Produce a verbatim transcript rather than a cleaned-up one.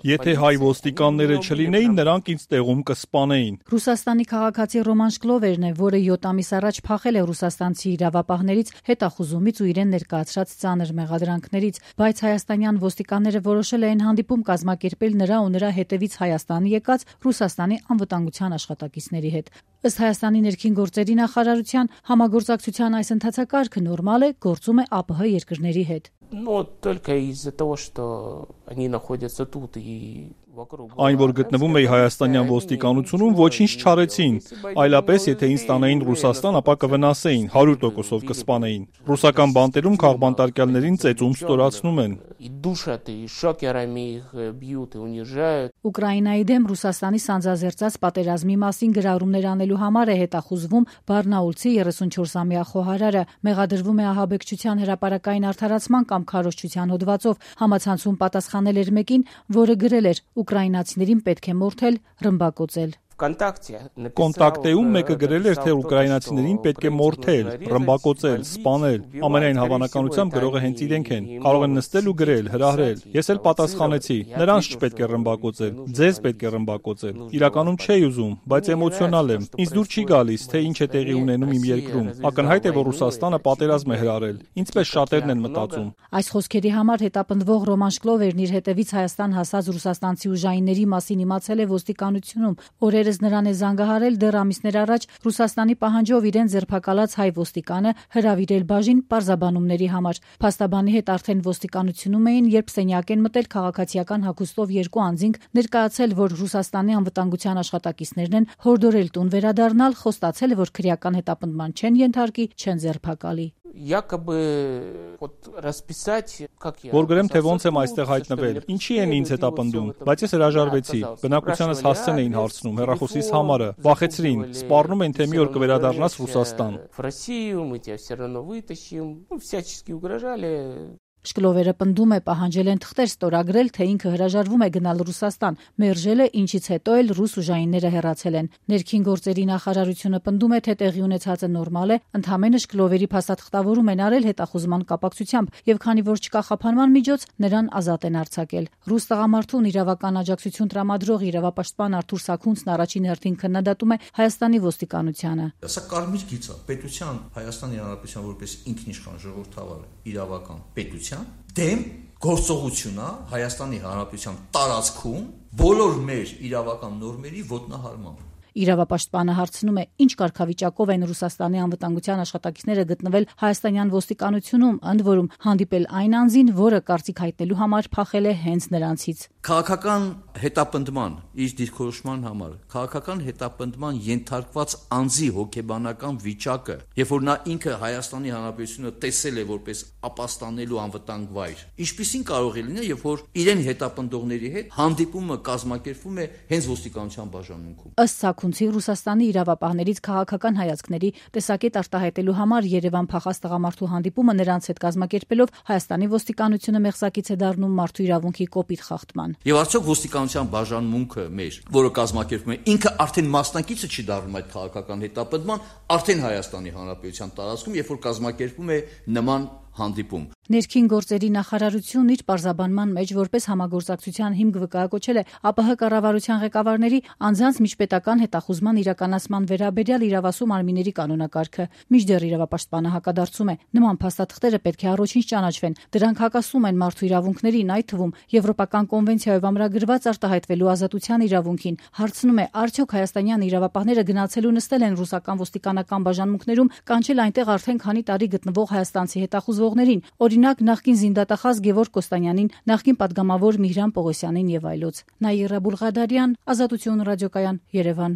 Եթե հայ ոստիկանները չլինեին, նրանք ինձ տեղում կսպանեին։ Ռուսաստանի քաղաքացի Ռոման Շկլովերն է, որը յոթ ամիս առաջ փախել է ռուսաստանցի իրավապահներից հետախուզումից ու իրեն ներկայացրած ծանր մեղադրանքներից, բայց հայաստանյան ոստիկանները որոշել էին հանդիպում կազմակերպել նրա ու նրա հետևից Հայաստան եկած Ռուսաստանի անվտանգության աշխատակիցների հետ։ Ըստ Հայաստանի ներքին գործերի նախարարության համագործակցության այս ընթացակարգը նորմալ է, գործում է ԱՊՀ երկրների հետ։ Այն, որ գտնվում էի հայաստանյան ոստիկանությունում, ոչինչ չարեցին, այլապես եթե ինձ տանեին Ռուսաստան, ապա կվնասեին, հարյուր տոկոսով կսպանեին։ Ռուսական բանտերում քաղբանտարկյալներին ծեծում ստորացնում են։ Ուկրաինայի դեմ Ռուսաստանի սանձազերծած պատերազմի մասին գրառումներ անելու համար է հետախուզվում Բարնաուլցի երեսունչորսամյա խոհարարը, մեղադրվում է ահաբեկչության հրապարակային արդարացման կամ քարոզչության հոդվածով, համացանցում պատասխանել էր մեկին, որը գրել էր ուկրաինացիներին պետք է մորթել, ռմբակոծել։ Կոնտակտեում մեկը գրել էր, թե ուկրաինացիներին պետք է մորթել, ռմբակոծել, սպանել։ Ամենայն հավանականությամբ գրողը հենց իրենք են։ Կարող են նստել ու գրել, հրահրել։ Ես էլ պատասխանեցի. նրանց չպետք է ռմբակոծել, ձեզ պետք է ռմբակոծել։ Իրականում չէի ուզում, բայց էմոցիոնալ եմ։ Ինձ դուր չի գալիս, թե ինչ է տեղի ունենում իմ երկրում։ Ակնհայտ է, որ Ռուսաստանը պատերազմ է հրահրել։ Ինչպես շատերն են մտածում։ Այս խոսքերի համար հետապնդվող Ռոման Շկլովերն իր հետևից Հայաստան հասած ռուսաստանցի ուժայինների մասին իմացել է ոստիկանությունում։ Օրերս նրան է զանգահարել դեռ ամիսներ առաջ Ռուսաստանի պահանջով իրեն ձերբակալած հայ ոստիկանը հրավիրել բաժին պարզաբանումների համար։ Փաստաբանի հետ արդեն ոստիկանությունում էին, երբ սենյակ են մտել քաղաքացիական հագուստով երկու անձինք, ներկայացել, որ Ռուսաստանի անվտանգության աշխատակիցներն են, հորդորել տուն վերադառնալ, խոստացել, որ քրեական հետապնդման չեն ենթարկի, չեն ձերբակալի։ Որ գրեմ, թե ոնց եմ այստեղ հայտնվել, ինչի են ինձ հետապնդում, բայց ես հրաժարվեցի։ Բնակությանս հասցեն էին հարցնում, հեռախոսիս համարը, վախեցրին, սպառնում են, թե մի օր կվերադառնաս Ռուսաստան։ Շկլովերը պնդում է, պահանջել են թղթեր ստորագրել, թե ինքը հրաժարվում է գնալ Ռուսաստան, մերժել է, ինչից հետո էլ ռուս ուժայինները հեռացել են։ Ներքին գործերի նախարարությունը պնդում է, թե տեղի ունեցածը նորմալ է, ընդհանրապես Շկլովերի փաստաթղթավորում են արել հետախուզման կապակցությամբ, եւ քանի որ չկա խափանման միջոց, նրան ազատ են արձակել։ Ռուս տղամարդուն իրավական աջակցություն տրամադրող իրավապաշտպան Արթուր Սաքունցն առաջին հերթին քննադատում է Հայաստանի ոստիկանությանը։ Սա կարմիր գիծ է, պետության Հայաստանի Հանրապետության որպես ինքնիշխան ժողովրդավար իրավական պետության դեմ գործողություն է Հայաստանի Հանրապետության տարածքում բոլոր մեր իրավական նորմերի ոտնահարմամբ։ Իրավապաշտպանը հարցնում է, ինչ կարգավիճակով են Ռուսաստանի անվտանգության աշխատակիցները գտնվել հայաստանյան ոստիկանությունում, ընդ որում հանդիպել այն անձին, որը կարծիք հայտնելու համար փախել է հենց նրանցից։ Քաղաքական հետապնդման իր դիրքորոշման համար քաղաքական հետապնդման ենթարկված անձի հոգեբանական վիճակը, երբ որ նա ինքը Հայաստանի Հանրապետությունը տեսել է որպես ապաստանելու անվտանգ վայր, ինչպիսին կարող է լինել, երբ որ իրեն հետապնդողների հետ հանդիպումը կազմակերպվում է հենց ոստիկանության բաժանմունքում։ Ըստ Սաքունցի, Ռուսաստանի իրավապահներից քաղաքական հայացքների տեսակետ արտահայտելու համար Երևան փախած տղամարդու հանդիպումը նրանց հետ կազմակերպելով Հայաստանի ոստիկանությունը մեղսակից է դառնում մարդու իրավունքի կոպիտ խախտման։ Եվ արդյոք ոստիկանության բաժանմունքը մեր, որը կազմակերպվում է, ինքը արդեն մասնակիցը չի դառնում այդ քաղաքական հետապնդման, արդեն Հայաստանի Հանրապետության տարածքում, երբ որ կազմակերպվում է նման հանդիպում։ Ներքին գործերի նախարարությունն իր պարզաբանման մեջ որպես համագործակցության հիմք վկայակոչել է ԱՊՀ կառավարության ղեկավարների անձանց միջպետական հետախուզման իրականացման վերաբերյալ իրավասու մարմինների կանոնակարգը։ Մինչդեռ իրավապաշտպանը հակադարձում է, նման փաստաթղթերը պետք է առաջինչ ճանաչվեն, դրանք հակասում են մարդու իրավունքներին, այդ թվում Եվրոպական կոնվենցիայով ամրագրված արտահայտվելու ազատության իրավունքին։ Հարցնում է, արդյոք հայաստանյան իրավապահները գնացել ու նստել են ռուսական ոստիկանական բաժանմունքներում, կանչել այնտեղ արդեն քանի տարի գտնվող հայաստանցի հետախուզվողներին, օրինակ նախկին զինդատախազ Գևորգ Կոստանյանին, նախկին պատգամավոր Միհրան Պողոսյանին եւ այլոց։ Նաիրա Բուլղադարյան, Ազատություն ռադիոկայան, Երևան։